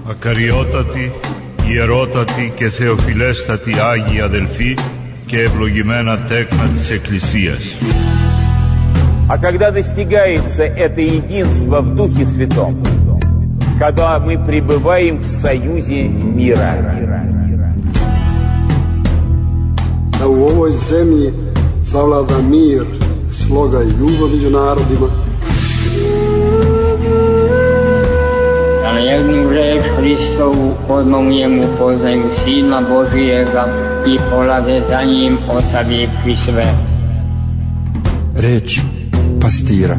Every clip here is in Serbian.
Ακαριότατοι, ιερότατοι και θεοφιλέστατοι Άγιοι αδελφοί και ευλογημένα τέκνα της Εκκλησίας. А когда достигается это единство в Духе Святом, когда мы пребываем в союзе мира. Da u ovoj zemlji zavlada mir, sloga i ljubav među narodima. Da na jednu reč Hristovu odmah mu poznaju Sina Božijega i polaze za njim ostavivši sve. Reč pastira.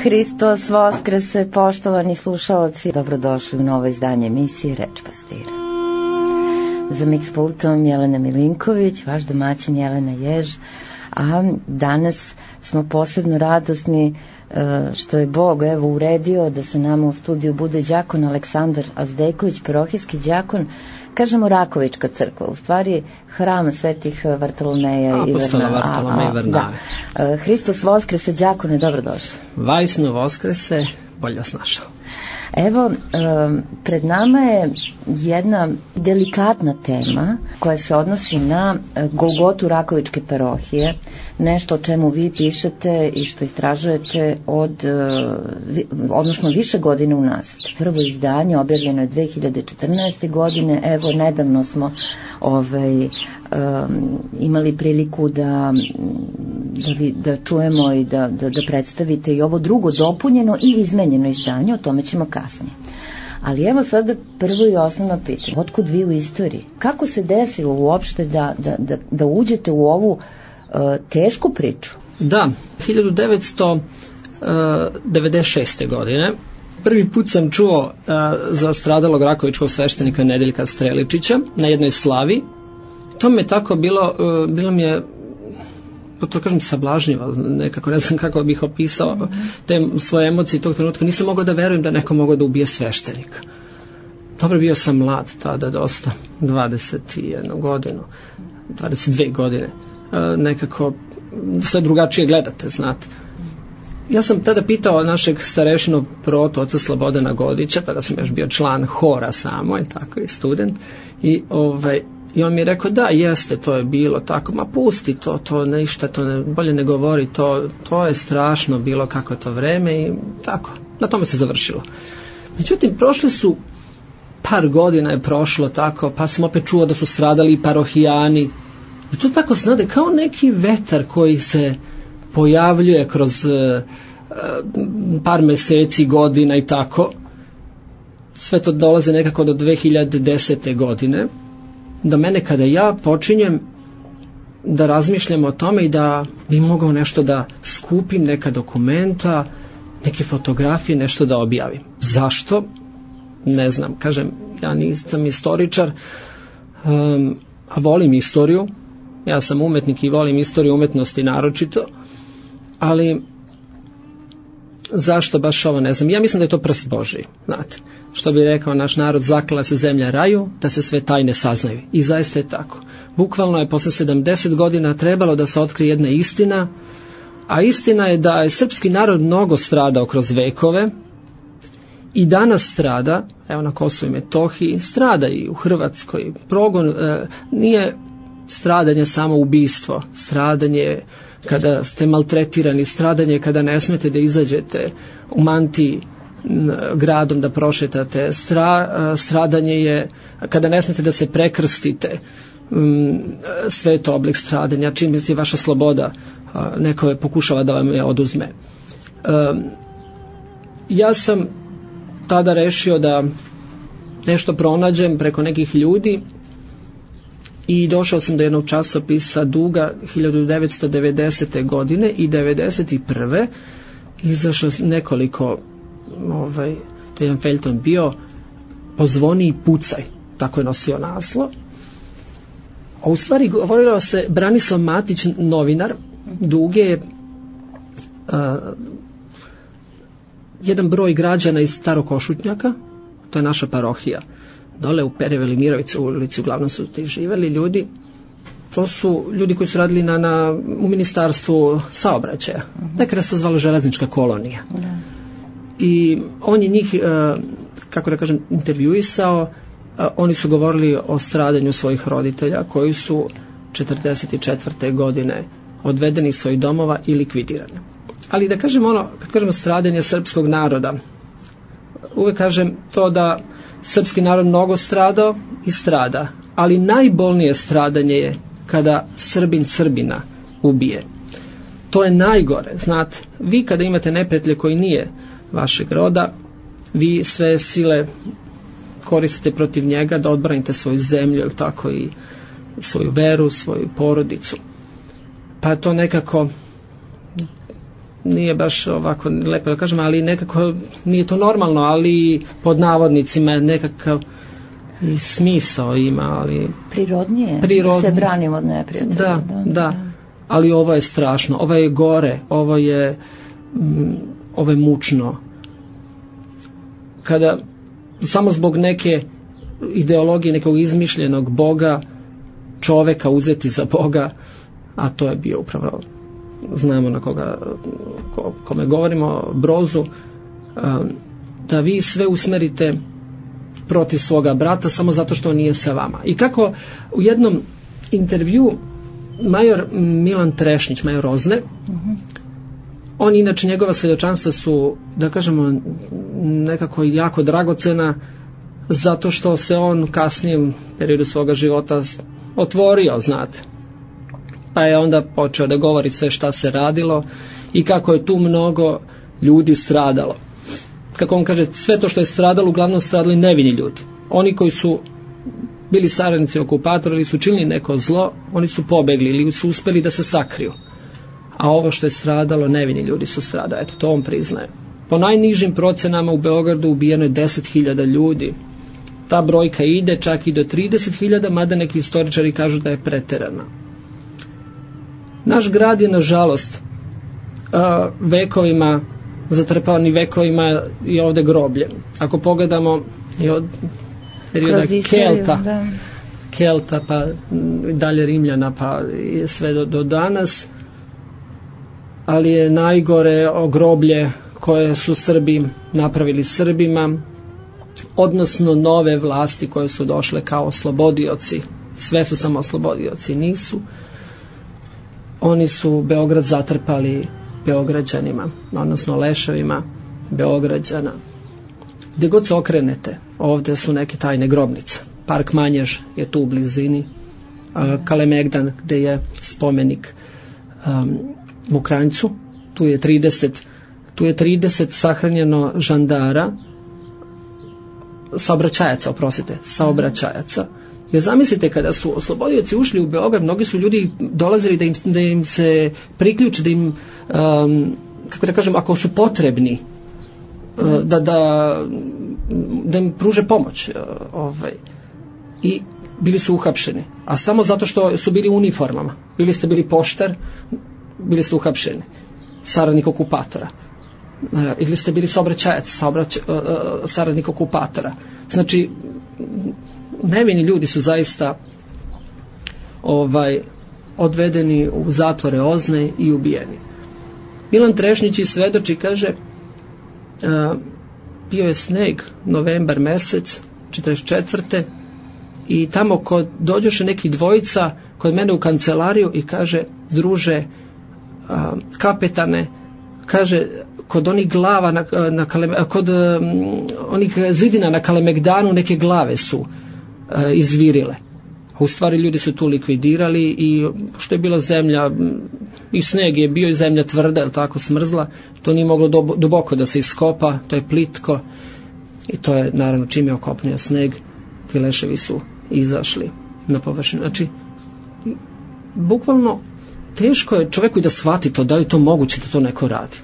Hristos Voskrese, poštovani slušaoci, dobrodošli u novo izdanje emisije Reč pastira. Za miks pultom Jelena Milinković, vaš domaćin Jelena Jež, a danas smo posebno radosni što je Bog uredio da se nama u studiju bude đakon Aleksandar Azdejković, parohijski đakon, kažemo Rakovička crkva, u stvari hram svetih Vartolomeja i Varnava. Hristos Voskrese, đakone, dobrodošli. Vajsno Voskrese, bolje vas našao. Evo, pred nama je jedna delikatna tema koja se odnosi na Golgotu Rakovičke parohije, nešto o čemu vi pišete i što istražujete odnosno više godine unazad. Prvo izdanje objavljeno je 2014. godine, evo nedavno smo imali priliku da čujemo i da predstavite i ovo drugo dopunjeno i izmenjeno izdanje, o tome ćemo kasnije. Ali evo sada prvo i osnovno pitanje. Otkud vi u istoriji? Kako se desilo uopšte da uđete u ovu tešku priču? Da, 1996. godine prvi put sam čuo za stradalog rakovičkog sveštenika Nedeljka Streličića na jednoj slavi. To mi je tako bilo mi je, to kažem, sablažnjivo, nekako ne znam kako bih opisao te svoje emocije tog trenutka. Nisam mogao da verujem da neko mogao da ubije sveštenika. Dobro, bio sam mlad tada dosta, 21 godinu, 22 godine, nekako sve drugačije gledate, znate. Ja sam tada pitao našeg starešinu protu, oca Slobodana Godića, tada sam još bio član hora samo, i tako, i student, i on mi je rekao, da, jeste, to je bilo tako, ma pusti to ništa, bolje ne govori, to je strašno bilo kako je to vreme i tako, na tome se završilo. Međutim, prošli su, par godina je prošlo tako, pa sam opet čuo da su stradali i parohijani, i to tako znade, kao neki vetar koji se pojavljuje kroz par meseci, godina i tako. Sve to dolaze nekako do 2010. godine. Do mene kada ja počinjem da razmišljam o tome i da bi mogao nešto da skupim, neka dokumenta, neke fotografije, nešto da objavim. Zašto? Ne znam. Kažem, ja nisam istoričar, a volim istoriju. Ja sam umetnik i volim istoriju umetnosti naročito, ali zašto baš ovo, ne znam. Ja mislim da je to prst Božiji, znate. Što bi rekao naš narod, zaklala se zemlja raju, da se sve tajne saznaju. I zaista je tako. Bukvalno je posle 70 godina trebalo da se otkrije jedna istina, a istina je da je srpski narod mnogo stradao kroz vekove i danas strada, evo na Kosovu i Metohiji, strada i u Hrvatskoj. Progon nije stradanje samo ubistvo, stradanje kada ste maltretirani, stradanje kada ne smete da izađete u mantiji gradom da prošetate, stradanje je kada ne smete da se prekrstite, sve je to oblik stradanja, čim misli vaša sloboda neko je pokušava da vam je oduzme. Ja sam tada rešio da nešto pronađem preko nekih ljudi i došao sam do jednog časopisa Duga 1990. godine i 1991. izašao nekoliko to je jedan feljton bio Pozvoni i pucaj, tako je nosio naslov. A u stvari govorilo se, Branislav Matić, novinar Duge, jedan broj građana iz Starog Košutnjaka, to je naša parohija, dole u Pereveli Mirovicu ulici uglavnom su ti živeli ljudi. To su ljudi koji su radili u ministarstvu saobraćaja. Nekada se to zvalo železnička kolonija. I on je njih, kako da kažem, intervjuisao. Oni su govorili o stradanju svojih roditelja koji su 1944. godine odvedeni iz svojih domova i likvidirani. Ali da kažem kad kažemo stradanje srpskog naroda, uvek kažem to da srpski narod mnogo stradao i strada, ali najbolnije stradanje je kada Srbin Srbina ubije. To je najgore, znate. Vi kada imate neprijatelja koji nije vašeg roda, vi sve sile koristite protiv njega da odbranite svoju zemlju, ili tako, i svoju veru, svoju porodicu. Pa to nekako nije baš ovako lepo da kažem, ali nekako nije to normalno, ali pod navodnicima nekakav i smisao ima, ali prirodnije. Se branimo od neprijatelja. Da. Ali ovo je strašno, ovo je gore, ovo je mučno. Kada samo zbog neke ideologije, nekog izmišljenog Boga, čoveka uzeti za Boga, a to je bio upravo, znamo na kome govorimo, Brozu, da vi sve usmerite protiv svoga brata samo zato što on nije sa vama. I kako u jednom intervju major Milan Trešnić, major Ozne, on inače, njegova svjedočanstva su, da kažemo, nekako jako dragocena, zato što se on u kasnijem periodu svoga života otvorio, znate. Pa je onda počeo da govori sve šta se radilo i kako je tu mnogo ljudi stradalo. Kako on kaže, sve to što je stradalo, uglavnom stradali nevini ljudi. Oni koji su bili saradnici okupatora ili su činili neko zlo, oni su pobegli ili su uspeli da se sakriju. A ovo što je stradalo, nevini ljudi su stradali. Eto, to on priznaje. Po najnižim procenama u Beogradu ubijeno je 10.000 ljudi. Ta brojka ide čak i do 30.000, mada neki istoričari kažu da je preterana. Naš grad je, nažalost, vekovima, zatrpani vekovima i ovde groblje. Ako pogledamo i od perioda Kelta, pa dalje Rimljana, pa sve do danas, ali je najgore groblje koje su Srbi napravili Srbima, odnosno nove vlasti koje su došle kao oslobodioci. Sve su samo oslobodioci, nisu. Oni su Beograd zatrpali Beograđanima, odnosno leševima Beograđana. Gde god se okrenete, ovde su neke tajne grobnice. Park Manjež je tu u blizini, Kalemegdan, gde je spomenik Mokranjcu, tu je 30 sahranjeno žandara, saobraćajaca. Jer zamislite, kada su oslobodioci ušli u Beograd, mnogi su ljudi dolazili da im se priključe, da im, kako da kažem, ako su potrebni, da im pruže pomoć. I bili su uhapšeni. A samo zato što su bili u uniformama. Bili poštar, bili ste uhapšeni. Saradnik okupatora. Ili ste bili saobraćajac, saradnik okupatora. Znači, nevini ljudi su zaista odvedeni u zatvore Ozne i ubijeni. Milan Trešnić svedoči, kaže, bio je sneg, novembar mesec 44. i tamo dođoše neki dvojica kod mene u kancelariju i kaže, druže, kapetane, kaže, kod onih glava kod onih zidina na Kalemegdanu neke glave su izvirile. A u stvari ljudi su tu likvidirali i što je bila zemlja i sneg je bio i zemlja tvrda, je tako, smrzla, to nije moglo duboko da se iskopa, to je plitko i to je, naravno, čim je okopnio sneg, ti leševi su izašli na površinu. Znači, bukvalno teško je čoveku da shvati to, da li je to moguće da to neko radi.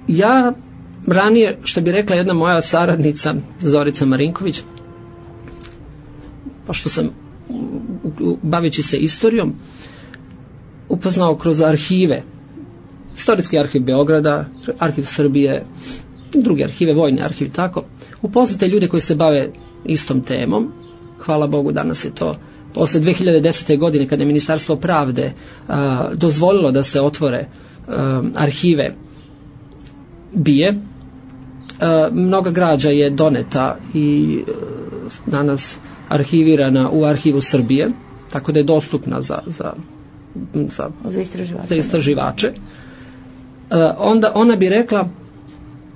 Ja ranije, što bi rekla jedna moja saradnica Zorica Marinković, pošto sam baveći se istorijom upoznao kroz arhive Istorijski arhiv Beograda, arhiv Srbije, drugi arhive, vojni arhiv, tako. Upoznate ljude koji se bave istom temom. Hvala Bogu, danas je to posle 2010. godine kada je Ministarstvo pravde dozvolilo da se otvore arhive BIA. Mnoga građa je doneta i danas arhivirana u arhivu Srbije, tako da je dostupna za istraživače. Onda ona bi rekla,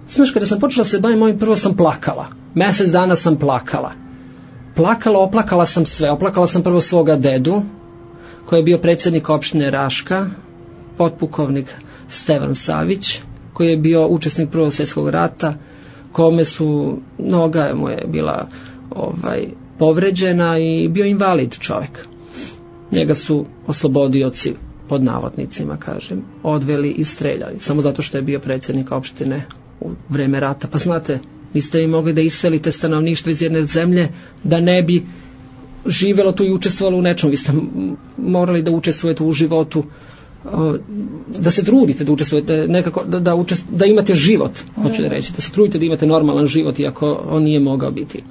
znaš, kada sam počela se baviti ovim, prvo sam plakala. Mesec dana sam plakala. Oplakala sam sve. Oplakala sam prvo svoga dedu, koji je bio predsjednik opštine Raška, potpukovnik Stevan Savić, koji je bio učesnik Prvog svjetskog rata, kome su, noga mu je bila povređena i bio invalid čovjek. Njega su oslobodioci, pod navodnicima kažem, odveli i streljali, samo zato što je bio predsjednik opštine u vreme rata. Pa znate, niste i mogli da iselite stanovništvo iz jedne zemlje da ne bi živelo tu i učestvovalo u nečemu. Vi ste morali da učestvujete u životu, da se trudite da učestvujete nekako, da imate život, hoću da reći, da se trudite da imate normalan život, iako on nije mogao biti.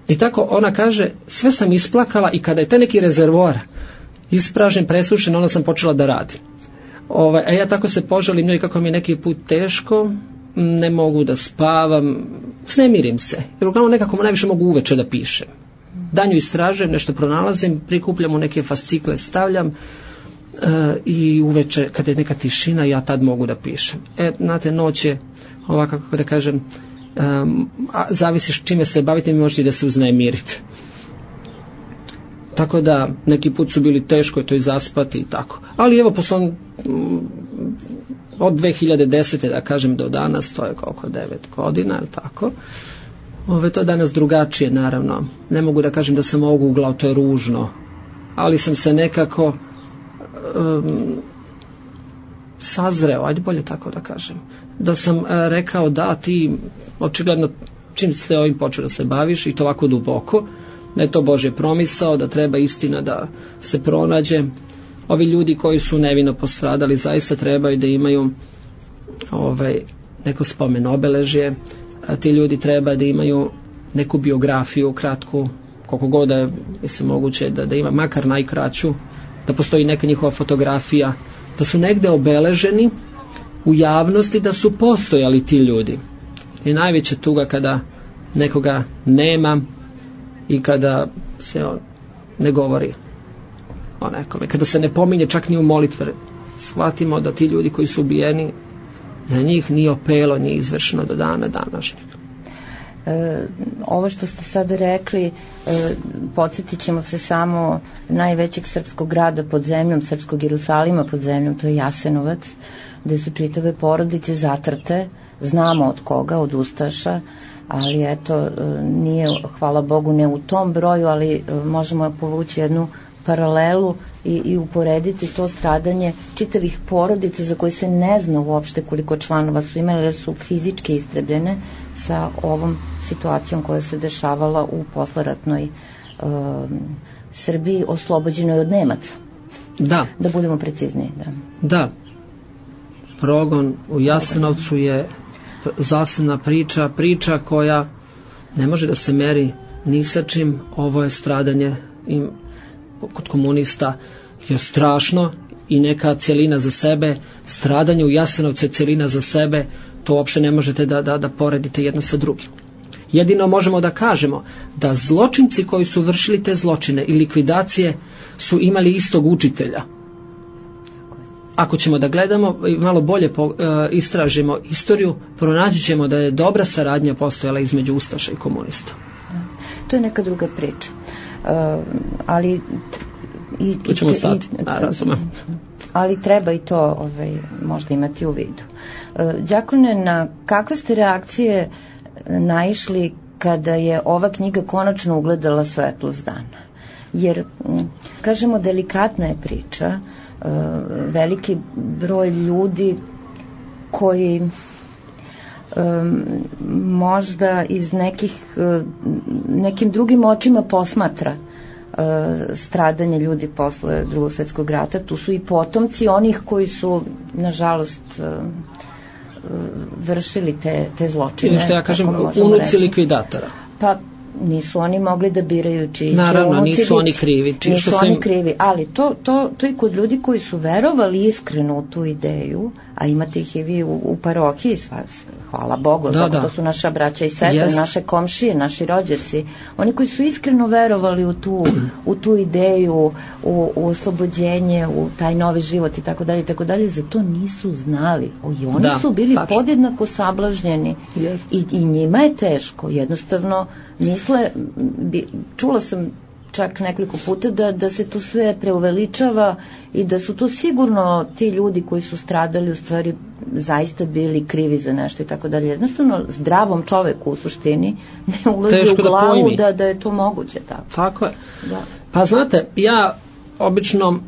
I tako ona kaže, sve sam isplakala i kada je taj neki rezervoar ispražen, presušen, onda sam počela da radim. A ja tako se požalim njoj kako mi je neki put teško, ne mogu da spavam, snemirim se, jer uglavnom nekako najviše mogu uveče da pišem. Danju istražujem, nešto pronalazim, prikupljam u neke fascikle, stavljam i uveče kada je neka tišina, ja tad mogu da pišem. Znate, noć je ovako, kako da kažem, zavisiš čime se bavite, mi možete da se uznemirite. Tako da neki put su bili teško je to i zaspati i tako. Ali evo, od 2010. da kažem do danas, to je oko 9 godina, ili tako. To je danas drugačije, naravno. Ne mogu da kažem da sam oguglao, to je ružno. Ali sam se nekako sazreo, ajde bolje tako da kažem. Da sam rekao da ti, očigledno, čim ste ovim počeo da se baviš i to ovako duboko, da je to Božje promisao, da treba istina da se pronađe. Ovi ljudi koji su nevino postradali zaista trebaju da imaju neko spomen obeležje, a ti ljudi treba da imaju neku biografiju kratku, koliko god da je moguće da ima, makar najkraću, da postoji neka njihova fotografija, da su negde obeleženi u javnosti, da su postojali ti ljudi. I najveća tuga kada nekoga nema i kada se ne govori o nekome, kada se ne pominje čak ni u molitve. Shvatimo da ti ljudi koji su ubijeni, za njih ni opelo nije izvršeno do dana današnjeg. Ovo što ste sad rekli, podsjetit ćemo se samo najvećeg srpskog grada pod zemljom, srpskog Jerusalima pod zemljom, to je Jasenovac, gde su čitave porodice zatrte, znamo od koga, od ustaša, ali eto, nije, hvala Bogu, ne u tom broju, ali možemo povući jednu paralelu i uporediti to stradanje čitavih porodica za koje se ne zna uopšte koliko članova su imali, jer su fizički istrebljene, sa ovom situacijom koja se dešavala u posleratnoj Srbiji, oslobođenoj od Nemaca. Da. Da budemo precizniji. Da. Progon u Jasenovcu je zasebna priča koja ne može da se meri ni sa čim. Ovo je stradanje kod komunista je strašno i neka celina za sebe. Stradanje u Jasenovcu je celina za sebe, to uopšte ne možete da poredite jedno sa drugim. Jedino možemo da kažemo da zločinci koji su vršili te zločine i likvidacije su imali istog učitelja. Ako ćemo da gledamo i malo bolje istražimo istoriju, pronaći ćemo da je dobra saradnja postojala između ustaša i komunista. To je neka druga priča. Ali tu ćemo stati, razumem. Ali treba i to možda imati u vidu. Đakone, na kakve ste reakcije naišli kada je ova knjiga konačno ugledala svetlost dana? Jer, kažemo, delikatna je priča, veliki broj ljudi koji možda iz nekim drugim očima posmatra stradanje ljudi posle Drugog svjetskog rata. Tu su i potomci onih koji su, nažalost, vršili te zločine. Ili što ja kažem, unuci likvidatora. Pa nisu oni mogli da biraju čiji će naravno, unuci nisu oni krivi. Nisu oni krivi, ali to i kod ljudi koji su verovali iskreno u tu ideju, a imate ih i vi u parohiji, hvala Bogu, to su naša braća i sestre, naše komšije, naši rođaci, oni koji su iskreno verovali u tu ideju, u oslobođenje, u taj novi život i tako dalje, za to nisu znali. I oni su bili podjednako sablažnjeni i njima je teško, jednostavno misle, čula sam čak nekoliko puta da se to sve preuveličava i da su to sigurno ti ljudi koji su stradali u stvari zaista bili krivi za nešto i tako dalje. Jednostavno zdravom čoveku u suštini ne ulazi u glavu da je to moguće. Tako je. Da. Pa znate, ja obično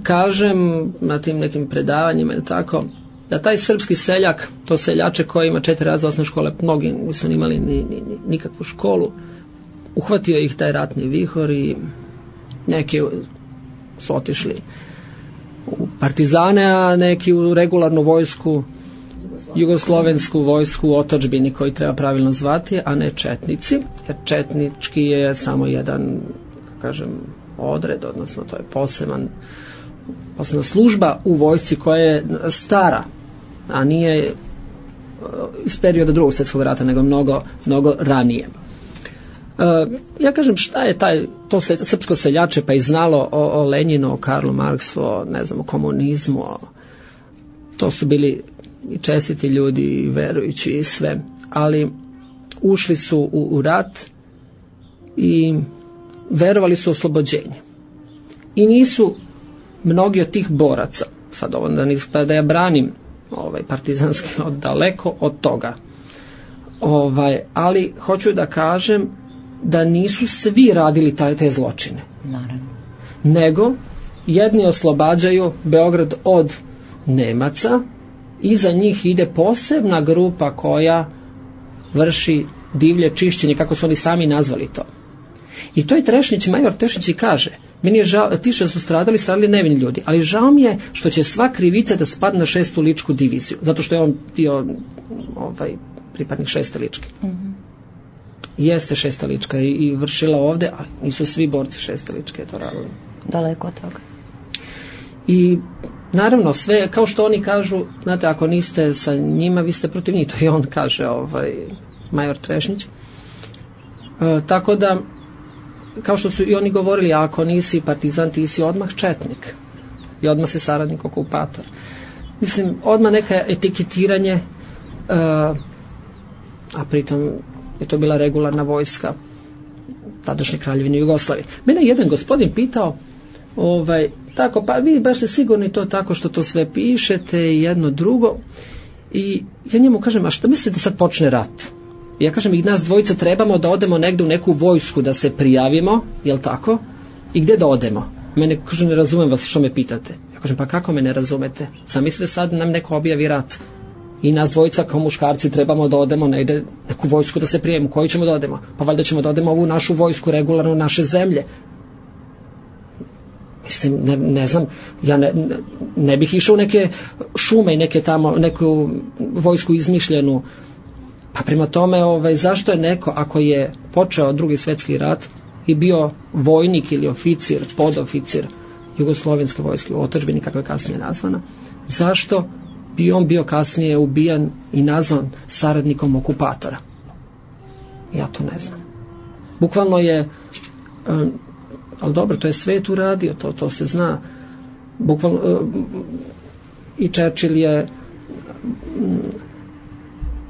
kažem na tim nekim predavanjima ili tako, da taj srpski seljak, to seljače koji ima 4 razreda osnovne škole, mnogi nisu imali nikakvu školu, uhvatio ih taj ratni vihor i neki su otišli u partizane, a neki u regularnu vojsku, jugoslovensku vojsku u otadžbini koji treba pravilno zvati, a ne četnici, jer četnički je samo jedan, kažem, odred, odnosno to je posebna služba u vojsci koja je stara, a nije iz perioda Drugog svjetskog rata, nego mnogo ranije. Ja kažem, šta je to srpsko seljače pa i znalo o Lenjinu, o Karlu Marksu, o komunizmu, to su bili i čestiti ljudi i verujući i sve, ali ušli su u rat i verovali su u oslobođenje i nisu mnogi od tih boraca, sad ovo da ja branim partizanski daleko od toga, ali hoću da kažem da nisu svi radili te zločine. Naravno. Nego jedni oslobađaju Beograd od Nemaca i za njih ide posebna grupa koja vrši divlje čišćenje, kako su oni sami nazvali to. I to je Trešnić, major Trešnić i kaže, meni je žao, ti što su stradali nevini ljudi, ali žao mi je što će sva krivica da spadne na 6. ličku diviziju, zato što je on bio pripadnik 6. ličke. Jeste 6. lička i vršila ovde, ali nisu svi borci 6. ličke to radili. Daleko od toga. I naravno sve, kao što oni kažu, znate, ako niste sa njima, vi ste protiv njih, to i on kaže, major Trešnić. Tako da, kao što su i oni govorili, ako nisi partizan, ti si odmah četnik i odmah si saradnik okupator. Mislim, odmah neka etiketiranje, a pritom je to bila regularna vojska tadašnje Kraljevine Jugoslavije. Mene jedan gospodin pitao, tako, pa vi baš ste sigurni to tako što to sve pišete i jedno drugo, i ja njemu kažem, a šta mislite da sad počne rat? Ja kažem, i nas dvojica trebamo da odemo negde u neku vojsku da se prijavimo, jel tako? I gde da odemo? Mene kaže, ne razumem vas, što me pitate? Ja kažem, pa kako me ne razumete? Sam mislite sad nam neko objavi rat i nas dvojica kao muškarci trebamo da odemo negde neku vojsku da se prijavimo. Koju ćemo da odemo? Pa valjda ćemo da odemo ovu našu vojsku regularno naše zemlje. Mislim, ne znam, ja ne bih išao u neke šume i neku vojsku izmišljenu. Pa prema tome, zašto je neko, ako je počeo Drugi svjetski rat i bio vojnik ili oficir, podoficir jugoslovenske vojske u otadžbini, kako je kasnije nazvana, zašto bi on bio kasnije ubijan i nazvan saradnikom okupatora? Ja to ne znam. Bukvalno je, ali dobro, to je svet uradio, to se zna. Bukvalno, i Churchill je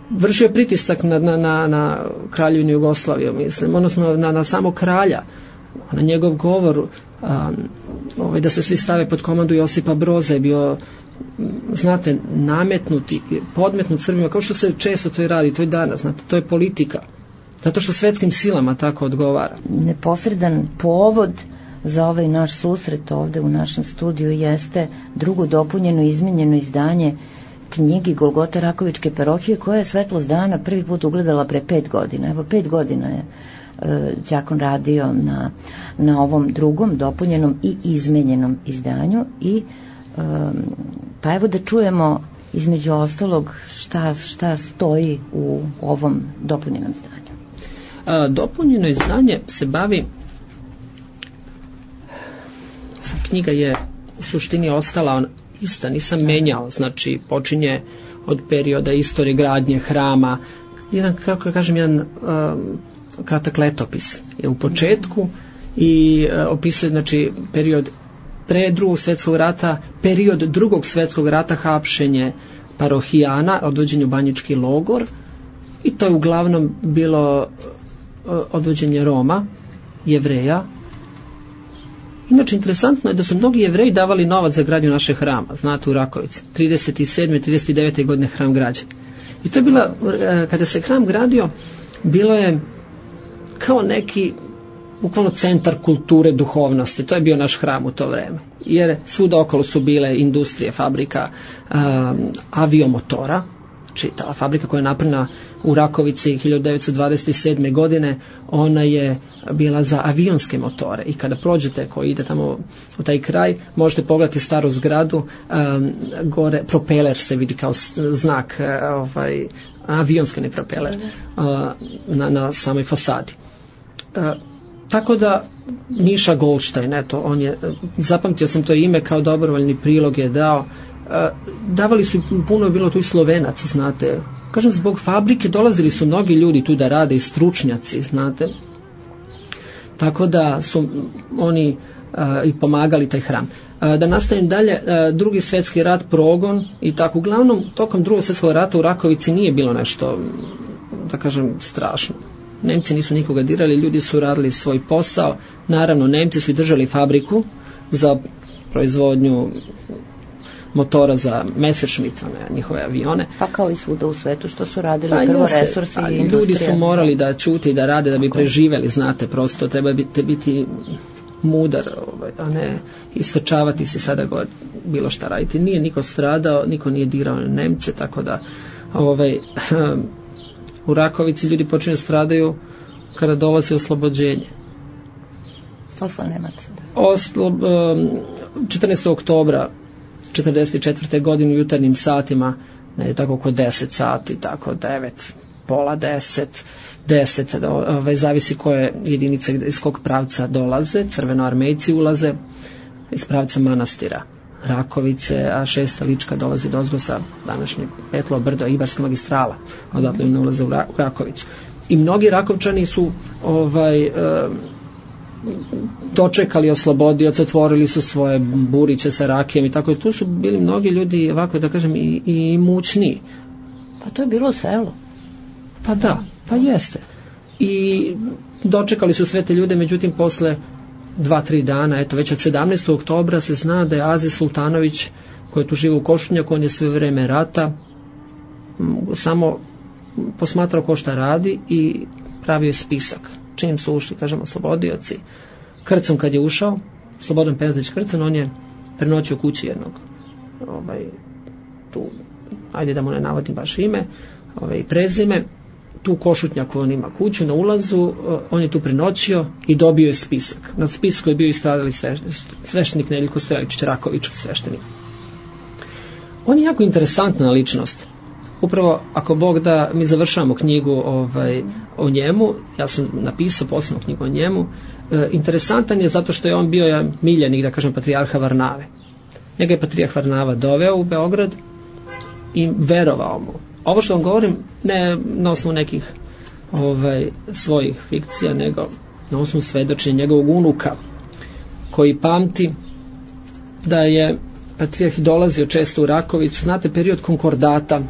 vršio pritisak na Kraljevinu Jugoslaviju, mislim, odnosno na samog kralja, na njegov govor, da se svi stave pod komandu Josipa Broza je bio, znate, nametnuti, podmetnut Srbima, kao što se često to i radi, to i danas, znate, to je politika, zato što svetskim silama tako odgovara. Neposredan povod za ovaj naš susret ovde u našem studiju jeste drugo dopunjeno i izmenjeno izdanje knjigi Golgota Rakovičke parohije, koja je svetlost dana prvi put ugledala pre 5 godina. Evo, 5 godina je đakon radio na ovom drugom, dopunjenom i izmenjenom izdanju i pa evo da čujemo između ostalog šta stoji u ovom dopunjenom izdanju. Dopunjeno izdanje se bavi, knjiga je u suštini ostala ista, nisam menjao, znači počinje od perioda istorije gradnje hrama, jedan, kako kažem, jedan kratak letopis je u početku i opisuje, znači, period pre Drugog svjetskog rata, period Drugog svjetskog rata, hapšenje parohijana, odvođenje u banjički logor, i to je uglavnom bilo odvođenje Roma, Jevreja. Inače, interesantno je da su mnogi Jevreji davali novac za gradnju naše hrama, znate, u Rakovici. 37. 39. godine hram građen. I to je bila, kada se hram gradio, bilo je kao neki bukvalno centar kulture, duhovnosti. To je bio naš hram u to vreme. Jer svuda okolo su bile industrije, fabrika aviomotora. Znači, ta fabrika koja je napravljena u Rakovici 1927. godine, ona je bila za avionske motore. I kada prođete, koji ide tamo u taj kraj, možete pogledati staru zgradu, gore propeler se vidi kao znak, avionski ne propeler, na samoj fasadi. Tako da Miša Goldstein, eto, on je, zapamtio sam to ime, kao dobrovoljni prilog je dao. Davali su, puno je bilo tu i Slovenaca, znate. Kažem, zbog fabrike dolazili su mnogi ljudi tu da rade, i stručnjaci, znate. Tako da su oni i pomagali taj hram. Da nastavim dalje, Drugi svjetski rat, progon i tako. Uglavnom, tokom Drugog svjetskog rata u Rakovici nije bilo nešto, da kažem, strašno. Nemci nisu nikoga dirali, ljudi su radili svoj posao. Naravno, Nemci su i držali fabriku za proizvodnju motora za Messerschmitt, njihove avione. Pa kao i svuda u svetu što su radili prvo resursi i industrija. Ljudi su morali da ćute i da rade da bi preživeli, znate, prosto treba biti mudar, a ne istrčavati se sada gore, bilo šta raditi. Nije niko stradao, niko nije dirao na Nemce, tako da u Rakovici ljudi počinju stradaju kada dolazi oslobođenje. Oslo Nemaca. 14. oktobra 1944. godine u jutarnjim satima, ne tako oko 10 sati, tako 9, pola 10, zavisi koje jedinice iz kog pravca dolaze, crvenoarmejci ulaze iz pravca manastira Rakovice, a 6. Lička dolazi dozgo sa današnje Petlovo brdo, Ibarska magistrala, odatle ne ulaze u Rakovicu. I mnogi Rakovčani su dočekali oslobodioce, otvorili su svoje buriće sa rakijem i tako. I tu su bili mnogi ljudi, ovako da kažem, i mućni. Pa to je bilo selo. Pa da, pa jeste. I dočekali su sve te ljude, međutim posle 2-3 dana, eto već od 17. oktobra se zna da je Aziz Sultanović, koji je tu živo u Košunjaku, on je sve vreme rata samo posmatrao ko šta radi i pravio je spisak. Čim su ušli, kažemo, oslobodioci, Krcom kad je ušao, Slobodan Pezdić Krcom, on je prenoćio kući jednog, tu, ajde da mu ne navodim baš ime, prezime, tu u Košutnjaku on ima kuću na ulazu, on je tu prenoćio i dobio je spisak. Nad spisku je bio i stradali sveštenik Nedeljko Streličić, Rakovički sveštenik. On je jako interesantna ličnost. Upravo, ako Bog da, mi završavamo knjigu o njemu, ja sam napisao posebnu knjigu o njemu. Interesantan je zato što je on bio miljenik, da kažem, patrijarha Varnave. Njega je patrijarh Varnava doveo u Beograd i verovao mu. Ovo što vam govorim, ne na osnovu nekih svojih fikcija, nego na osnovu svedočenja njegovog unuka, koji pamti da je patrijarh dolazio često u Rakovicu. Znate, period konkordata.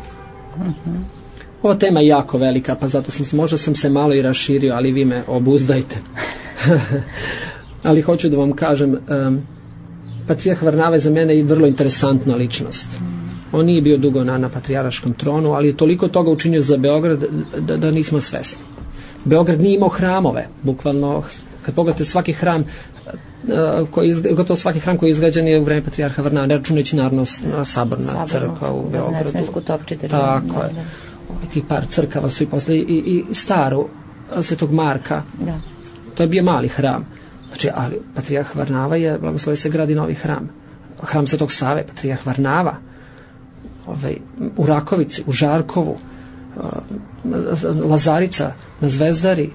Ova tema je jako velika, pa zato možda sam se malo i raširio, ali vi me obuzdajte. Ali hoću da vam kažem, patrijarh Varnava je za mene i vrlo interesantna ličnost. On nije bio dugo na patrijaraškom tronu, ali je toliko toga učinio za Beograd da nismo svesni. Beograd nije imao hramove, bukvalno, kad pogledate svaki hram, gotovo svaki hram koji je izgrađen je u vreme patrijarha Varnave, ne računajući naravno Saborna crkva u Beogradu. Tako je. Ti par crkava su i posle i staru Svetog Marka. Da. To je bio mali hram. Znači, ali patrijarh Varnava je, blagoslovi se, gradi novi hram. Hram Svetog Save, patrijarh Varnava. U Rakovici, u Žarkovu, Lazarica, na Zvezdari,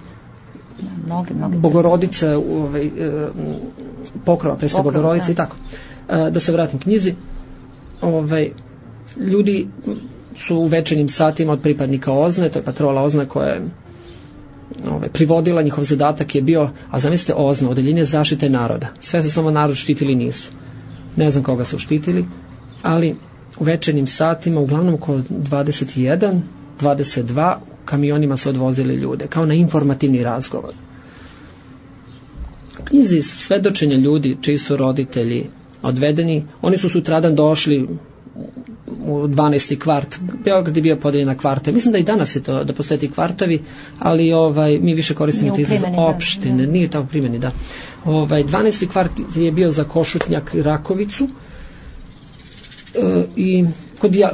Bogorodica, Pokrova, Preste Bogorodice i tako. Da se vratim knjizi. Ljudi su u večernjim satima od pripadnika OZNE, to je patrola OZNE koja je privodila, njihov zadatak je bio, a zamislite OZNE, Odeljenje zaštite naroda. Sve su samo narod štitili, nisu. Ne znam koga su štitili, ali u večernjim satima, uglavnom oko 21, 22, kamionima su odvozili ljude, kao na informativni razgovor. Knjizi svedočenja ljudi čiji su roditelji odvedeni, oni su sutradan došli u 12. kvart. Beograd je bio podeljen na kvarte. Mislim da i danas je to, da postoje ti kvartovi, ali mi više koristimo te izraz opštine. Nije tako primjeni, da. 12. kvart je bio za Košutnjak i Rakovicu i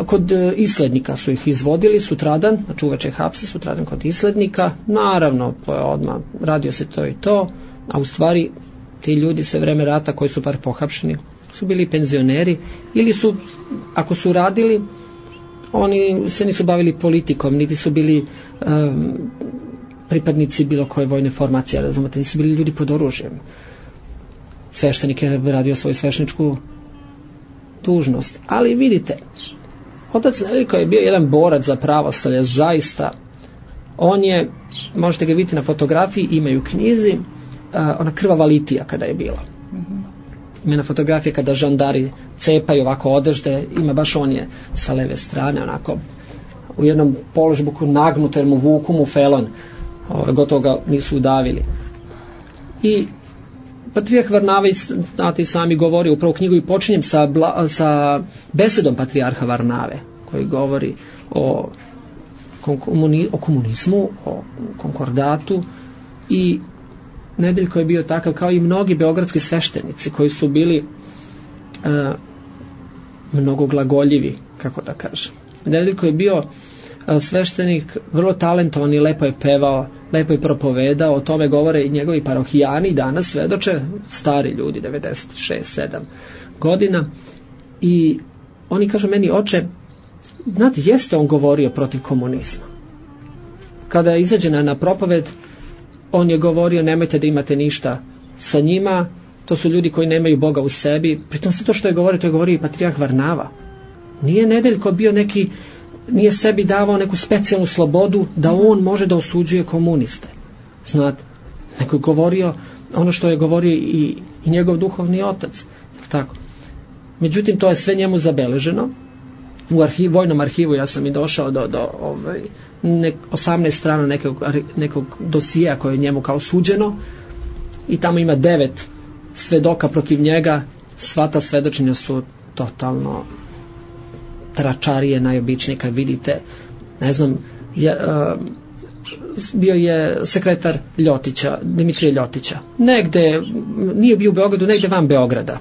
kod islednika su ih izvodili sutradan, znači uveče hapse, sutradan kod islednika. Naravno, odmah radio se to i to, a u stvari ti ljudi sve vreme rata koji su par pohapšeni su bili penzioneri ili su, ako su radili, oni se nisu bavili politikom, niti su bili pripadnici bilo koje vojne formacije, razumete, nisu bili ljudi pod oružjem. Sveštenik je radio svoju svešteničku dužnost. Ali vidite, otac Nedeljko je bio jedan borac za pravoslavlje, zaista. On je, možete ga vidjeti na fotografiji, imaju u knjizi, ona krvava litija kada je bila. Ima na fotografije kada žandari cepaju ovako odežde, ima baš on je sa leve strane, onako u jednom položbuku nagnuto, jer mu vuku mu felon, gotovo ga nisu udavili. I patrijarh Varnava, znate i sami, govori upravo knjigu i počinjem sa besedom patrijarha Varnave, koji govori o komunizmu, o konkordatu, i Nedeljko je bio takav kao i mnogi beogradski sveštenici koji su bili mnogo glagoljivi, kako da kažem. Nedeljko je bio sveštenik vrlo talentovan i lepo je pevao, lepo je propovedao, o tome govore i njegovi parohijani, danas svedoče, stari ljudi, 96, 7 godina, i oni kažu meni: oče, znate, jeste on govorio protiv komunizma. Kada je izađena na propoved, on je govorio: nemojte da imate ništa sa njima, to su ljudi koji nemaju Boga u sebi. Pritom sve to što je govorio, to je govorio i patrijarh Varnava. Nije Nedeljko bio neki, nije sebi davao neku specijalnu slobodu da on može da osuđuje komuniste. Znate, neko je govorio ono što je govorio i njegov duhovni otac. Tako. Međutim, to je sve njemu zabeleženo. U vojnom arhivu ja sam i došao do 18 strana nekog dosija koje je njemu kao suđeno, i tamo ima 9 svedoka protiv njega. Sva ta svedočenja su totalno tračarije najobičnije. Kad vidite, ne znam, bio je sekretar Ljotića, Dimitrije Ljotića, negde, nije bio u Beogradu, negde van Beograda,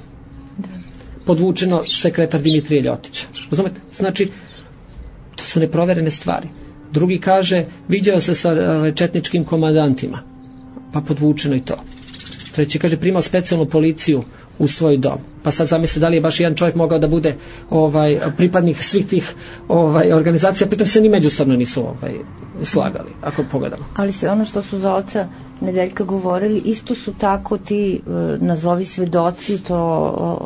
podvučeno sekretar Dimitrije Ljotića. Razumete? Znači, to su neproverene stvari. Drugi kaže, viđao se sa četničkim komandantima, pa podvučeno i to. Treći kaže, primao specijalnu policiju u svoj dom. Pa sad zamisli da li je baš jedan čovjek mogao da bude pripadnik svih tih organizacija, pritom se ni međusobno nisu slagali, ako pogledamo. Ali sve ono što su za oca Nedeljka govorili, isto su tako ti nazovi svedoci, to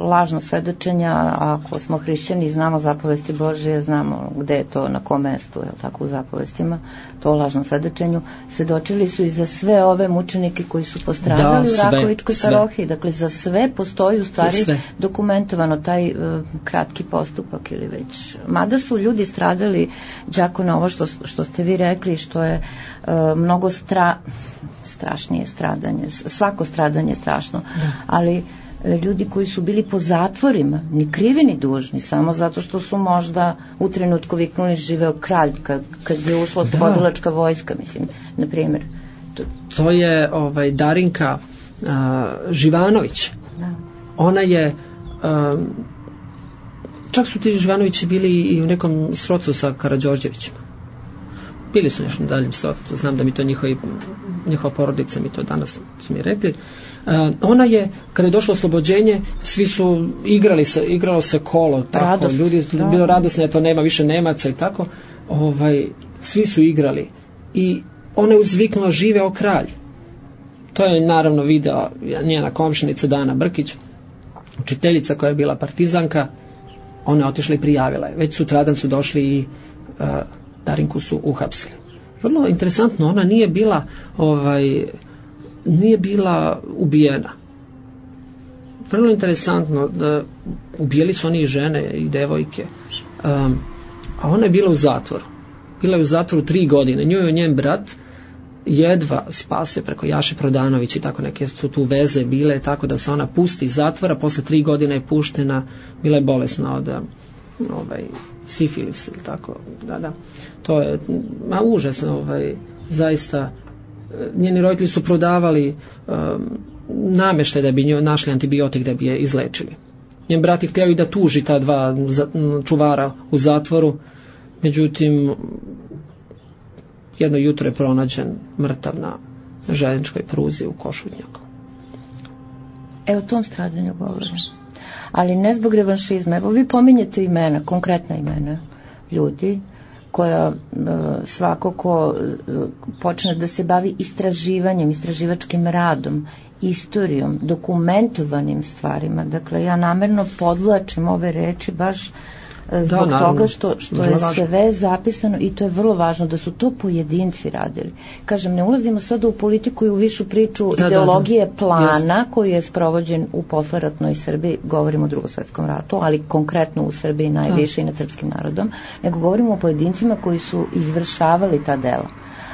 lažno svedočenja. Ako smo hrišćani, znamo zapovesti Božije, znamo gde je to, na kom mestu, je tako, u zapovestima, to lažnom svedočenju. Svedočili su i za sve ove mučenike koji su postradali u Rakovičkoj parohiji. Dakle, za sve postoji u stvari dokumentovano taj kratki postupak ili već. Mada su ljudi stradali, đako, na ovo što ste vi rekli, što je mnogo strašnije stradanje. Svako stradanje je strašno. Ali ljudi koji su bili po zatvorima, ni krivi ni dužni, samo zato što su možda u trenutku viknuli živeo kralj, kad je ušla slobodilačka vojska, mislim, na primjer. To je Darinka Živanović. Da. Ona je čak su ti Živanovići bili i u nekom srodstvu sa Karađorđevićima. bili su nešto na daljem srodstvu, znam da mi to njihova porodica mi to danas su mi rekli. Ona je, kada je došlo oslobođenje, svi su igralo se kolo, tako, radost, ljudi bilo radosno, to nema više Nemaca i tako, svi su igrali i ona je uzviknula živeo kralj. To je naravno video njena komšinica Dana Brkić, učiteljica koja je bila partizanka. Ona je otišla i prijavila je. Već sutradan su došli i Darinku su uhapsili. Vrlo interesantno, ona nije bila ubijena. Vrlo interesantno, da ubijeli su oni i žene i devojke. A ona je bila u zatvoru. Bila je u zatvoru 3 godine. Nju je njen brat jedva spasio preko Jaše Prodanović i tako, neke su tu veze bile, tako da se ona pusti iz zatvora, posle 3 godine je puštena, bila je bolesna od sifilis ili tako, da. To je užasno, zaista. Njeni roditelji su prodavali namještaj da bi njoj našli antibiotik da bi je izlečili. Njen brat je htio i da tuži ta 2 čuvara u zatvoru, međutim jedno jutro je pronađen mrtav na željezničkoj pruzi u Košutnjaku. O tom stradanju govorim. Ali ne zbog revanšizma. Evo vi pominjete imena, konkretna imena ljudi koja svako ko počne da se bavi istraživanjem, istraživačkim radom, istorijom, dokumentovanim stvarima. Dakle, ja namerno podvlačim ove reči baš zbog toga što je sve zapisano i to je vrlo važno da su to pojedinci radili. Kažem, ne ulazimo sada u politiku i u višu priču ideologije plana koji je sprovođen u posleratnoj Srbiji, govorimo o Drugom svetskom ratu, ali konkretno u Srbiji najviše i nad srpskim narodom, nego govorimo o pojedincima koji su izvršavali ta dela,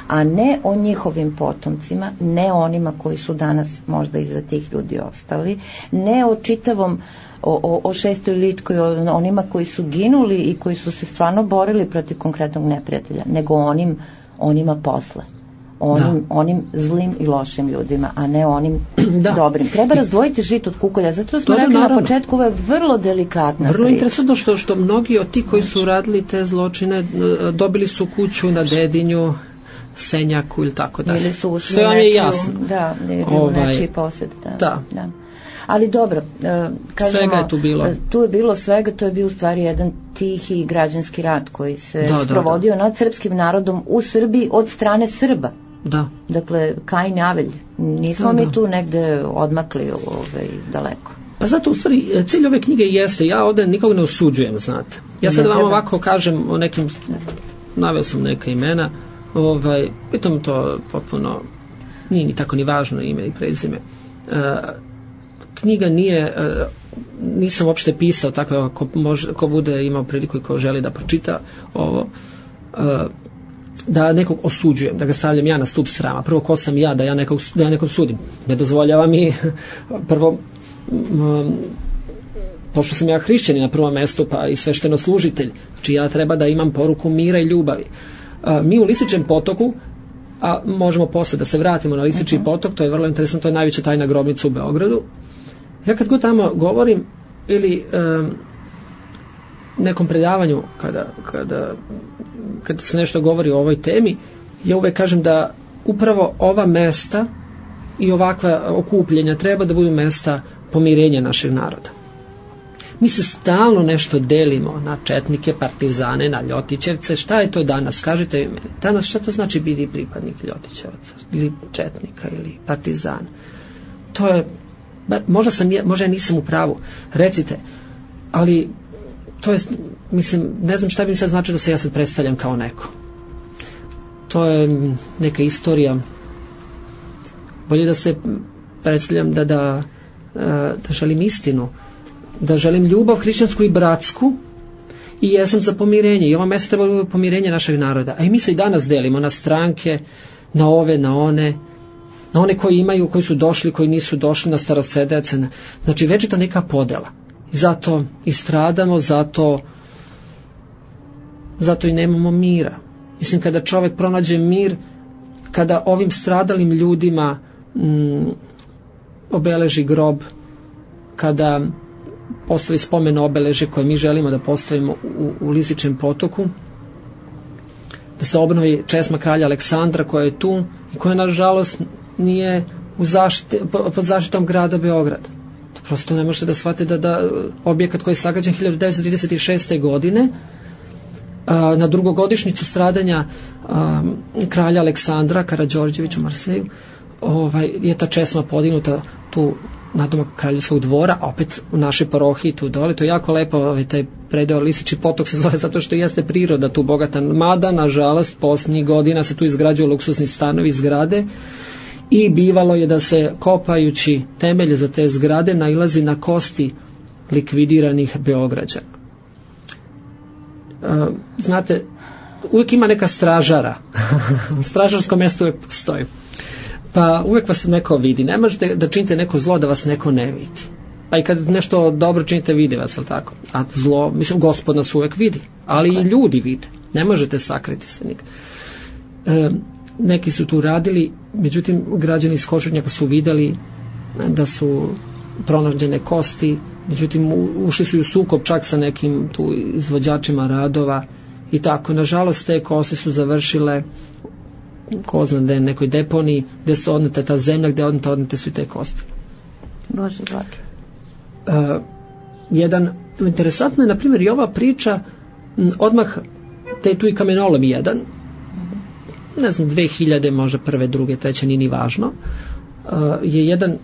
a ne o njihovim potomcima, ne onima koji su danas možda iza tih ljudi ostali, ne o čitavom o Šestoj Ličkoj, onima koji su ginuli i koji su se stvarno borili protiv konkretnog neprijatelja, nego onima posle. Onim zlim i lošim ljudima, a ne onim dobrim. Treba razdvojiti žito od kukolja, zato smo rekli na početku, ovo je vrlo delikatna vrlo interesantno što mnogi od ti koji su radili te zločine dobili su kuću na Dedinju, Senjaku ili tako dalje. Ili su ušli sve vam je jasno. Da, u nečiji posjed. Da. Ali dobro, kažemo, svega je tu bilo. Tu je bilo svega, to je bio u stvari jedan tihi građanski rat koji se sprovodio nad srpskim narodom u Srbiji od strane Srba. Da. Dakle, Kain i Avelj. Nismo mi tu negde odmakli daleko. Pa zato u stvari cilj ove knjige jeste, ja ovdje nikog ne osuđujem, znate. Ja sad vam ovako kažem o nekim, naveo sam neka imena, pitam to potpuno, nije ni tako ni važno ime i prezime. Knjiga nije, nisam uopšte pisao tako, ko bude imao priliku i ko želi da pročita ovo, da nekog osuđujem, da ga stavljam ja na stup srama. Prvo, ko sam ja da ja nekog sudim? Ne dozvoljava mi prvo pošto sam ja hrišćanin na prvom mjestu, pa i sveštenoslужitelj, znači ja treba da imam poruku mira i ljubavi. Mi u Lisičem potoku, a možemo posle da se vratimo na Lisički potok, to je vrlo interesantno, to je najveća tajna grobnica u Beogradu. Ja kad god tamo govorim ili nekom predavanju kada se nešto govori o ovoj temi, ja uvek kažem da upravo ova mesta i ovakva okupljenja treba da budu mesta pomirenja našeg naroda. Mi se stalno nešto delimo na četnike, partizane, na Ljotićevce. Šta je to danas? Kažite mi, danas šta to znači biti pripadnik Ljotićevaca ili četnika ili partizana? To je, možda ja nisam u pravu, recite, ali to je, mislim, ne znam šta bi mi sad znači da se ja sad predstavljam kao neko. To je neka istorija. Bolje da se predstavljam da želim istinu, da želim ljubav hrišćansku i bratsku i jesam za pomirenje i ova mesta treba da bude pomirenje našeg naroda. A i mi se i danas delimo na stranke, na ove, na one koji imaju, koji su došli, koji nisu došli, na starosedeoce. Znači večita neka podela. I zato i stradamo, zato i nemamo mira. Mislim, kada čovjek pronađe mir, kada ovim stradalim ljudima obeleži grob, kada postavi spomen obeleže koje mi želimo da postavimo u Lisičem potoku, da se obnovi česma kralja Aleksandra koja je tu i koja nažalost nije pod zaštitom grada Beograda. To prosto ne možete da shvatite da objekat koji je sagrađen 1936. godine na drugogodišnjicu stradanja kralja Aleksandra Karađorđevića u Marseju, je ta česma podignuta tu nadomak kraljevskog dvora, a opet u našoj parohiji tu dole. To je jako lepo, taj predeo Lisički potok se zove zato što jeste priroda tu bogata, mada nažalost posljednjih godina se tu izgrađuju luksusni stanovi, zgrade, i bivalo je da se kopajući temelje za te zgrade nailazi na kosti likvidiranih Beograđana. Znate, uvijek ima neka stražara. Stražarsko mjesto uvijek postoji. Pa uvijek vas neko vidi. Ne možete da činite neko zlo da vas neko ne vidi. Pa i kad nešto dobro činite, vidi vas, ali tako? A zlo, mislim, Gospod nas uvijek vidi. Ali i ljudi vide. Ne možete sakriti se nikad. Neki su tu radili, međutim, građani iz Košutnjaka su vidjeli da su pronađene kosti, međutim, ušli su u sukob čak sa nekim tu izvođačima radova i tako. Nažalost, te kosti su završile ko zna da je nekoj deponiji gdje su odnete ta zemlja, gdje odnete su i te kosti. Bože blagi. Interesantno je, na primjer, i ova priča odmah, te tu i kamenolom jedan, ne znam, 2000, možda prve, druge, treće, nije ni važno, je jedan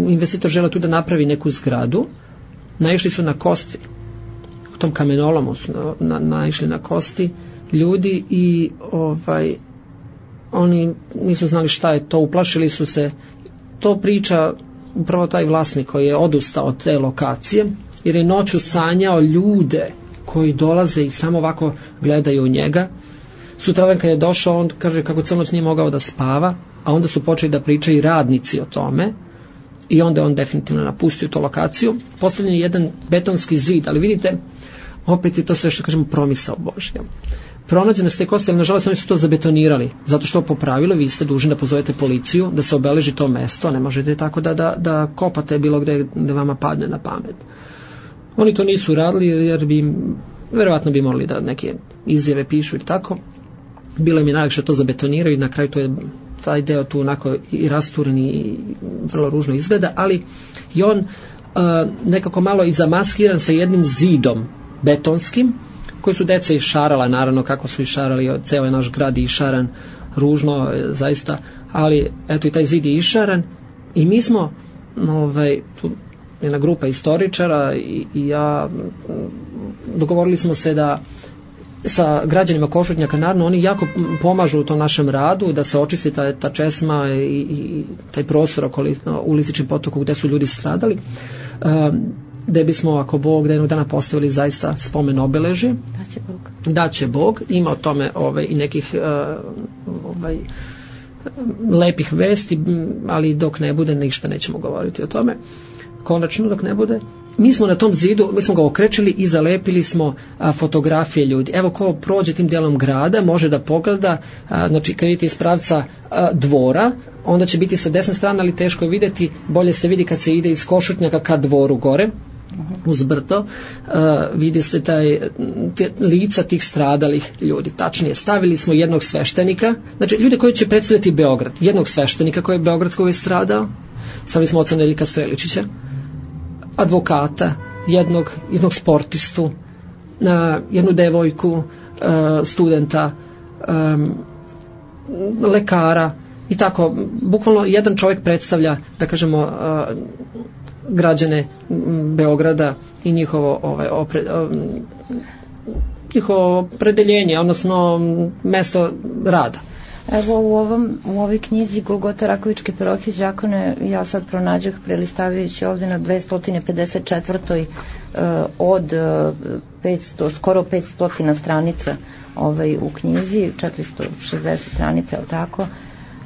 investitor želeo tu da napravi neku zgradu, naišli su na kosti, u tom kamenolomu su naišli na kosti ljudi i oni nisu znali šta je to, uplašili su se. To priča upravo taj vlasnik koji je odustao od te lokacije, jer je noću sanjao ljude koji dolaze i samo ovako gledaju u njega. Sutradan kad je došao, on kaže kako cijelu noć nije mogao da spava, a onda su počeli da pričaju radnici o tome i onda on definitivno napustio tu lokaciju. Postavljen je jedan betonski zid, ali vidite, opet je to sve što kažemo promisao Božja. Pronađene su te kosti, ali nažalost oni su to zabetonirali, zato što po pravilu vi ste dužni da pozovete policiju, da se obeleži to mesto, ne možete tako da kopate bilo gde vama padne na pamet. Oni to nisu radili jer bi, verovatno bi morali da neke izjave pišu i tako. Bilo im je najlakše to zabetoniraju i na kraju to je taj deo tu onako i rasturen i vrlo ružno izgleda, ali i on nekako malo i zamaskiran sa jednim zidom betonskim, koji su deca išarala, naravno kako su išarali, ceo je naš grad išaran, ružno zaista, ali eto i taj zid je išaran i mi smo tu jedna grupa istoričara i ja dogovorili smo se da sa građanima Košutnjaka, naravno oni jako pomažu u tom našem radu da se očisti ta česma i taj prostor u Lisičkom potoku gde su ljudi stradali, gde bismo, ako Bog, da jednog dana postavili zaista spomen obeležje. Daće Bog. Ima o tome i nekih lepih vesti, ali dok ne bude, ništa nećemo govoriti o tome. Konačno, dok ne bude. Mi smo na tom zidu, mi smo ga okrečili i zalepili smo fotografije ljudi. Evo, ko prođe tim delom grada, može da pogleda, znači kad vidite iz pravca dvora, onda će biti sa desne strane, ali teško je vidjeti, bolje se vidi kad se ide iz Košutnjaka ka dvoru gore, uz brdo, vidi se lica tih stradalih ljudi. Tačnije, stavili smo jednog sveštenika, znači ljude koji će predstavljati Beograd, jednog sveštenika koji je beogradskog je stradao, stavili smo oca Nedeljka Streličića, advokata, jednog sportistu, jednu devojku, studenta, lekara i tako, bukvalno jedan čovjek predstavlja, da kažemo, građane Beograda i njihovo opredeljenje, odnosno mesto rada. Evo u ovoj knjizi Golgota Rakovičke parohije đakone ja sad pronađah prelistavljajući ovdje na 254. Od 500, skoro 500 stranica u knjizi, 460 stranica, ali tako,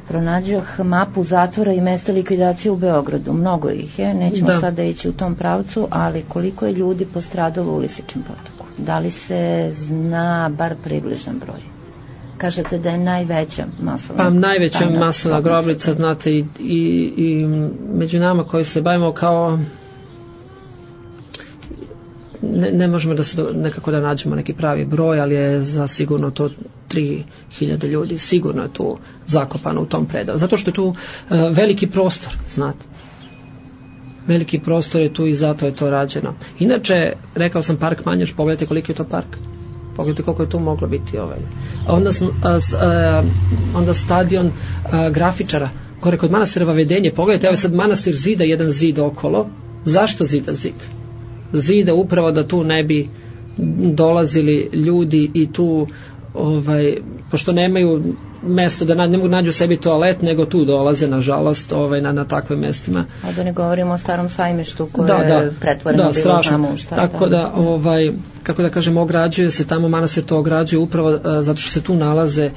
pronađah mapu zatvora i mesta likvidacije u Beogradu. Mnogo ih je, nećemo sada ići u tom pravcu, ali koliko je ljudi postradalo u Lisičkom potoku? Da li se zna bar približan broj? Kažete da je najveća masovna... Pa najveća masovna grobnica, znate, i među nama koji se bavimo kao ne možemo da se nekako da nađemo neki pravi broj, ali je zasigurno to 3000 ljudi, sigurno je tu zakopano u tom predalu, zato što je tu veliki prostor, znate. Veliki prostor je tu i zato je to rađeno. Inače, rekao sam park Manjaš, pogledajte koliki je to park. Pogledajte koliko je tu moglo biti onda stadion grafičara gore kod manastira Vavedenje. Pogledajte, evo sad manastir zida jedan zid okolo. Zašto zida zid? Zida upravo da tu ne bi dolazili ljudi i tu pošto nemaju mesto da ne mogu nađu sebi toalet, nego tu dolaze nažalost na takvim mestima. A da ne govorimo o Starom Sajmištu koje je pretvoreno bilo znamo šta. Tako da kako da kažem, ograđuje se tamo, manastir to ograđuje upravo zato što se tu nalaze,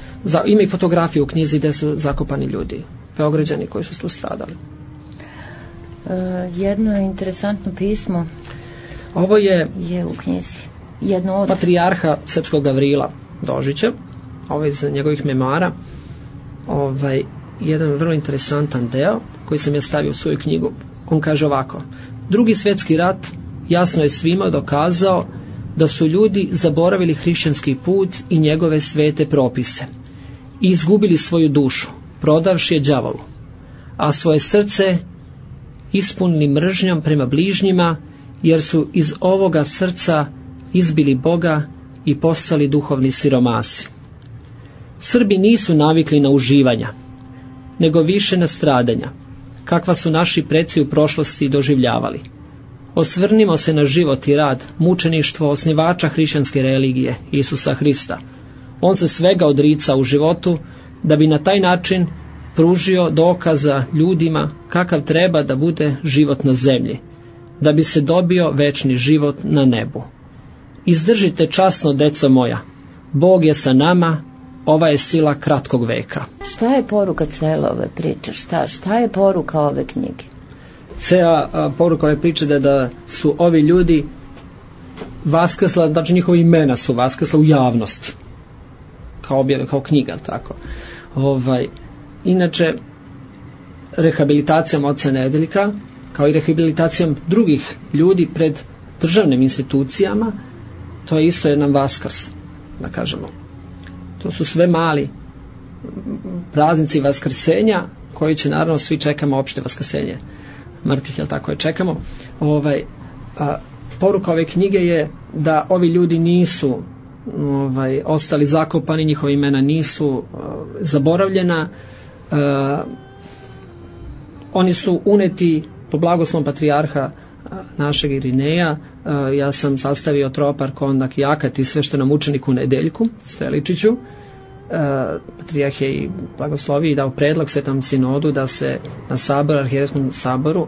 ima i fotografije u knjizi gde su zakopani ljudi, Beograđani koji su tu stradali. Jedno interesantno pismo ovo je u knjizi, jedno od patrijarha srpskog Gavrila Dožića, ovo iz njegovih memara, jedan vrlo interesantan deo koji sam ja stavio u svoju knjigu. On kaže ovako: Drugi svjetski rat jasno je svima dokazao da su ljudi zaboravili hrišćanski put i njegove svete propise i izgubili svoju dušu, prodavši je đavolu, a svoje srce ispunili mržnjom prema bližnjima, jer su iz ovoga srca izbili Boga i postali duhovni siromasi. Srbi nisu navikli na uživanja, nego više na stradanja, kakva su naši preci u prošlosti doživljavali. Osvrnimo se na život i rad, mučeništvo osnivača hrišćanske religije, Isusa Hrista. On se svega odrica u životu, da bi na taj način pružio dokaza ljudima kakav treba da bude život na zemlji, da bi se dobio večni život na nebu. Izdržite časno, deco moja, Bog je sa nama, ova je sila kratkog veka. Šta je poruka cele ove priče? Šta je poruka ove knjige? Cela poruka ove priče da su ovi ljudi vaskrsla, znači njihova imena su vaskrsla u javnost, kao knjiga, tako. Inače, rehabilitacijom oca Nedeljka, kao i rehabilitacijom drugih ljudi pred državnim institucijama, to je isto jedan vaskrs, da kažemo. To su sve mali praznici vaskrsenja, koji će, naravno, svi čekamo opšte vaskrsenje mrtvih, jel tako je, čekamo. Poruka ove knjige je da ovi ljudi nisu ostali zakopani, njihova imena nisu zaboravljena, oni su uneti po blagoslovom patrijarha našeg Irineja. Ja sam sastavio tropar, kondak i akat i sveštenom učeniku Nedeljku Streličiću. Patrijarh je i blagoslovio i dao predlog Svetom sinodu da se na sabor, arhijerejskom saboru,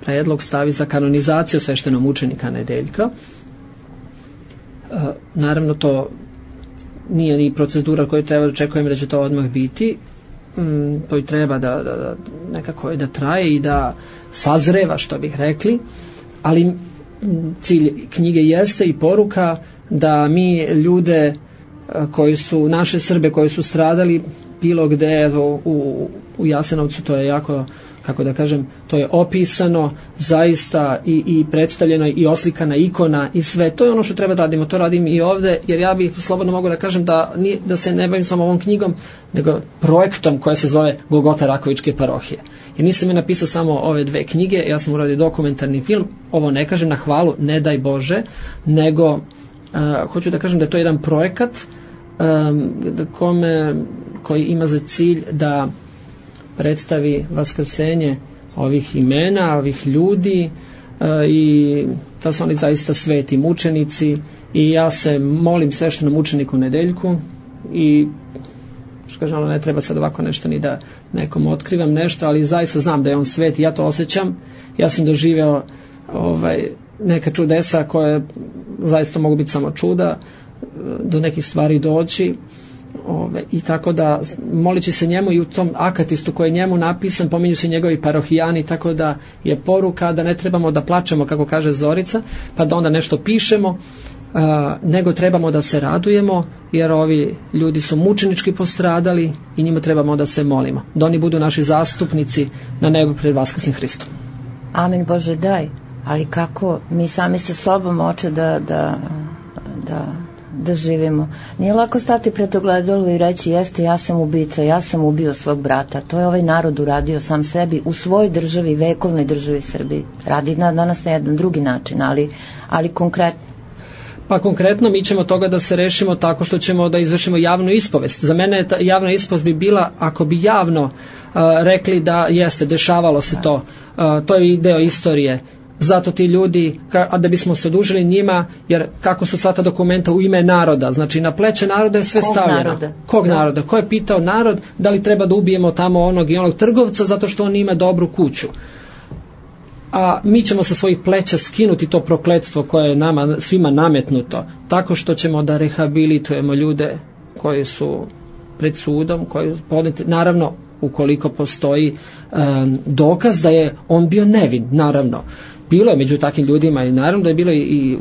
predlog stavi za kanonizaciju sveštenog učenika Nedeljka. Naravno, to nije ni procedura koju treba da očekujem da će to odmah biti. To i treba da nekako da traje i da sazreva, što bih rekli, ali cilj knjige jeste i poruka da mi ljude koji su, naše Srbe koji su stradali bilo gde, evo, u Jasenovcu, to je jako, kako da kažem, to je opisano zaista i predstavljeno i oslikana ikona i sve, to je ono što treba da radimo, to radim i ovde, jer ja bih slobodno mogu da kažem da se ne bavim samo ovom knjigom, nego projektom koja se zove Golgota Rakovičke parohije. Jer nisam je napisao samo ove dve knjige, ja sam uradio dokumentarni film, ovo ne kažem na hvalu, ne daj Bože, nego hoću da kažem da je to jedan projekat koji ima za cilj da predstavi vaskrsenje ovih imena, ovih ljudi, i da su oni zaista sveti mučenici, i ja se molim sveštenom učeniku Nedeljku i što kažem, ne treba sad ovako nešto ni da nekom otkrivam nešto, ali zaista znam da je on svet i ja to osjećam. Ja sam doživeo neka čudesa koje zaista mogu biti samo čuda, do nekih stvari doći, i tako da molići se njemu i u tom akatistu koji je njemu napisan pominju se njegovi parohijani, tako da je poruka da ne trebamo da plačemo, kako kaže Zorica, pa da onda nešto pišemo, nego trebamo da se radujemo, jer ovi ljudi su mučenički postradali i njima trebamo da se molimo, da oni budu naši zastupnici na nebu pred vaskrsnim Hristom. Amin, Bože daj. ali kako mi sami sa sobom hoće da živimo. Nije lako stati pred ogledalo i reći jeste, ja sam ubica, ja sam ubio svog brata. To je ovaj narod uradio sam sebi u svojoj državi, vekovnoj državi Srbiji. Radi danas na jedan drugi način, ali konkretno. Pa konkretno mi ćemo toga da se rešimo tako što ćemo da izvršimo javnu ispovest. Za mene ta javna ispovest bi bila ako bi javno rekli da jeste, dešavalo se to. To je deo istorije. Zato ti ljudi, a da bismo se odužili njima, jer kako su sva ta dokumenta u ime naroda, znači na pleće naroda je sve stavljeno. Kog naroda? Ko je pitao narod da li treba da ubijemo tamo onog i onog trgovca zato što on ima dobru kuću? A mi ćemo sa svojih pleća skinuti to prokletstvo koje je nama svima nametnuto, tako što ćemo da rehabilitujemo ljude koji su pred sudom, koji podneti, naravno ukoliko postoji dokaz da je on bio nevin, naravno. Bilo je među takvim ljudima i naravno da je bilo i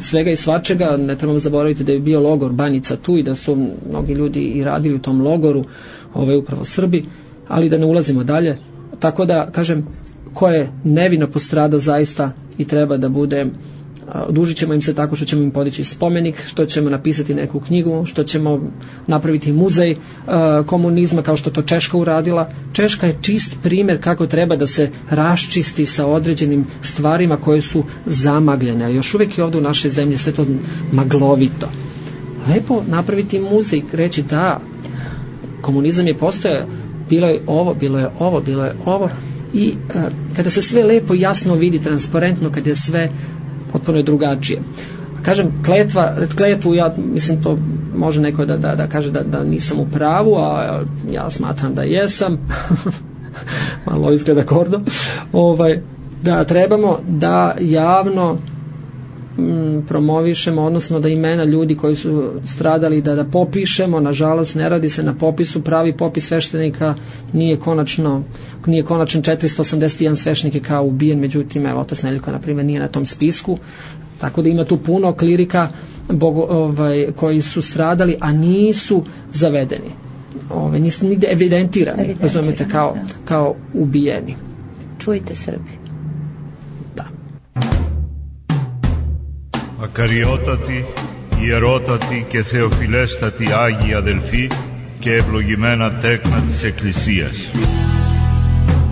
svega i svačega. Ne trebamo zaboraviti da je bio logor Banjica tu i da su mnogi ljudi i radili u tom logoru, upravo Srbi, ali da ne ulazimo dalje. Tako da, kažem, ko je nevino postradao zaista i treba da bude, odužit ćemo im se tako što ćemo im podići spomenik, što ćemo napisati neku knjigu, što ćemo napraviti muzej komunizma kao što to Češka uradila. Češka je čist primjer kako treba da se raščisti sa određenim stvarima koje su zamagljene. A još uvijek je ovdje u našoj zemlji sve to maglovito. Lepo napraviti muzej, reći da komunizam je postojao, bilo je ovo, bilo je ovo, bilo je ovo. I kada se sve lepo i jasno vidi, transparentno, kada je sve potpuno je drugačije. Kažem, kletvu, ja mislim to može neko da kaže da nisam u pravu, a ja smatram da jesam. Malo izgleda gordo. Da trebamo da javno promovišemo, odnosno da imena ljudi koji su stradali da popišemo. Nažalost, ne radi se na popisu, pravi popis sveštenika nije konačan. 481 sveštenik je kao ubijen, međutim, evo, otac Nedeljko, na primjer, nije na tom spisku, tako da ima tu puno klirika koji su stradali, a nisu zavedeni, nisu nigde evidentirani, razumete, kao ubijeni. Čujte, Srbi. Ακαριότατη, ιερότατη και θεοφιλέστατη Άγιοι αδελφοί και ευλογημένα τέκνα της Εκκλησίας.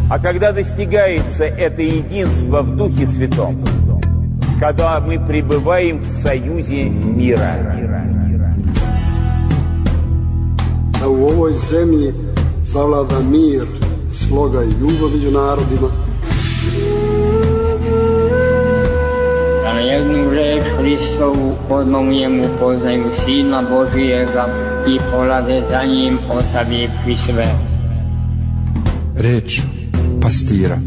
А когда достигается это единство в Духе Святом, когда мы пребываем в союзе мира. Da u ovoj zemlji zavlada mir, sloga i ljubav među narodima. Da na jednu reč Hristovu odmah poznaju Sina Božijega i polade za njim otavi pri sve. Reč pastira.